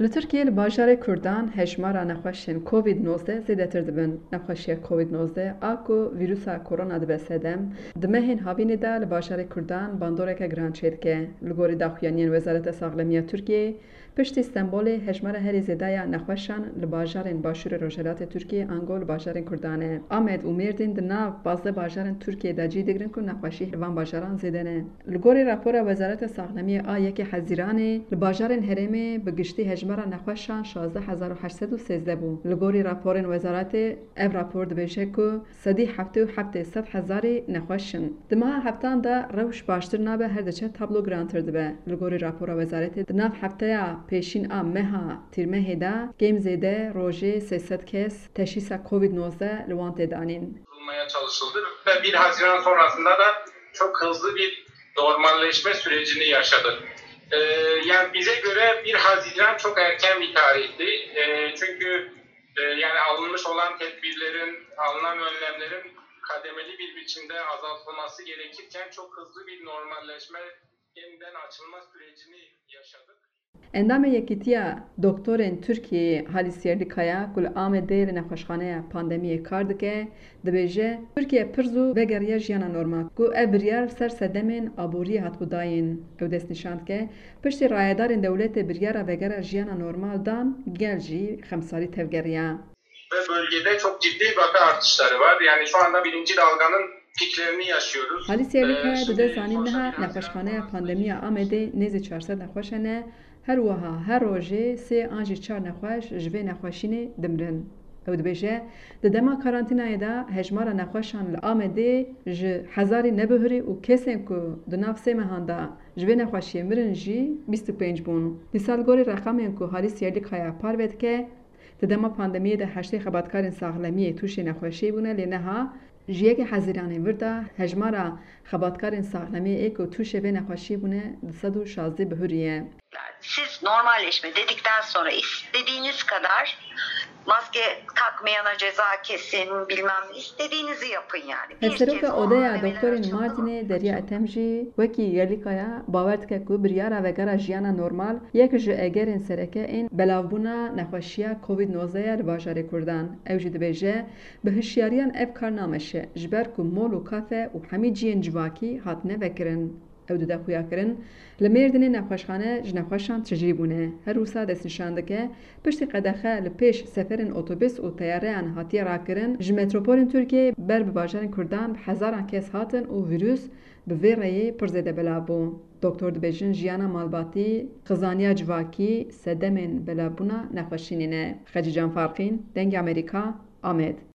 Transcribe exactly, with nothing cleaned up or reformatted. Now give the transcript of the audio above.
Li Tirkiyê li bajarê Kurdan hejmara nexweşên Covid nozdeh zêdetir dibin. Nexweşiya Covid nozdeh a ku vîrusa korona dibe sedem, di mehên havînê de li bajarê Kurdan bandoreke giran çêdike. Li gorî daxuyaniyên Wezareta Saxlemiya Tirkiyeyê, piştî Stenbolê hejmara herî zêde ya nexweşan li bajarên Başûrê Rojhilatê Tirkiyê ango li bajarên Kurdan e. Amed û Mêrdîn di nav pazdeh bajarên Tirkiyê de cî digirin ku nexweşî li van bajaran zêde ne. Li gorî rapora Wezareta Saxlemiyê a yekê Hezîranê, li bajarên herêmê bi giştî hejmara nexweşan şazdeh hezar û heşt sed û sêzdeh bû. Li gorî raporên wezaretê, ev rapor dibêje ku sedî heftê û heft ê sed hezarî nexweş in. Di meha heftan de rewş baştir nabe, her diçe tablo girantir dibe. Li gorî rapora wezaretê, di nav hefteya pêşîn a meha Tîrmehê de kêm zêde rojê sê sed kes teşhîsa Covid nozdeh li wan tê danîn. Yapılmaya çalışıldı ve bir Haziran sonrasında da çok hızlı bir normalleşme sürecini yaşadık. Ee, Yani bize göre bir Haziran çok erken bir tarihti. Ee, çünkü e, yani alınmış olan tedbirlerin, alınan önlemlerin kademeli bir biçimde azaltılması gerekirken çok hızlı bir normalleşme, yeniden açılma sürecini yaşadık. Endamê Yekîtiya Doktorên Tirkiyeyê Halis Yerlikaya ku li Amedê li nexweşxaneya pandemiyê kar dike, dibêje, Tirkiye pir zû vegeriya jiyana normal, ku ev biryar li ser sedemên aboriyê hatibû dayîn. Ew destnîşan dike, piştî rayedarên dewletê biryara vegera jiyana normal dan, gel jî xemsarî tevgeriya. Ve bölgede çok ciddi vaka artışları var. Yani şu anda birinci dalganın piklerini yaşıyoruz. Halis Yerlikaya dide zanîn niha nexweşxaneya pandemiya Amedê nêzî çar sed nexweş hene, her wiha her rojê sê an jî çar nexweş ji vê nexweşînê dimirin. Ew dibêje, di dema karantînayê de hejmara nexweşan li Amedê ji hezarî nebihurî û kesên ku di nav sê mehan de ji vê nexweşiyê mirin jî bîst û pênc bûn. Dîsa li gorî reqemên ku Halis Yerlikaya parve dike, di dema pandemiyê de heştê xebatkarên saxlemiyê tûşê nexweşiyê bûne, lê niha ji yekê Hezîranê vir de hejmara xebatkarên saxlemiyê ê ku tûşê vê nexweşiyê bûne du sed û şazdeh bihurî ye. Siz normalleşme dedikten sonra istediğiniz kadar maske takmayana ceza kesin, bilmem ne, istediğinizi yapın yani. Hevseroka Odeya Doktorên Mardînê Derya Etem jî wekî Yerlikaya bawer dike ku biryara vegera jiyana normal yek ji egerên sereke ên belavbûna nexweşiya Covid nozdeh ye li bajarê Kurdan. Ew jî dibêje, bi hişyariyan ev kar nameşe, ji ber ku mol û kafe û hemî cihên civakî hatine vekirin. Ew dide xuyakirin, li Mêrdînê nexweşxane ji nexweşan tijî bûne. Her wisa destnîşan dike, piştî qedexe li pêş seferên otobus û teyareyan hatiye rakirin, ji metropolên Tirkiyeyê ber bi bajarên Kurdan bi hezaran kes hatin û vîrus bi vê rêyê pir zêde belav bû. Doktor dibêjin, jiyana malbatî, xizaniya civakî sedemên belavbûna nexweşînê ne. Xecîcan Farqîn, Dengê Amerîka, Amed.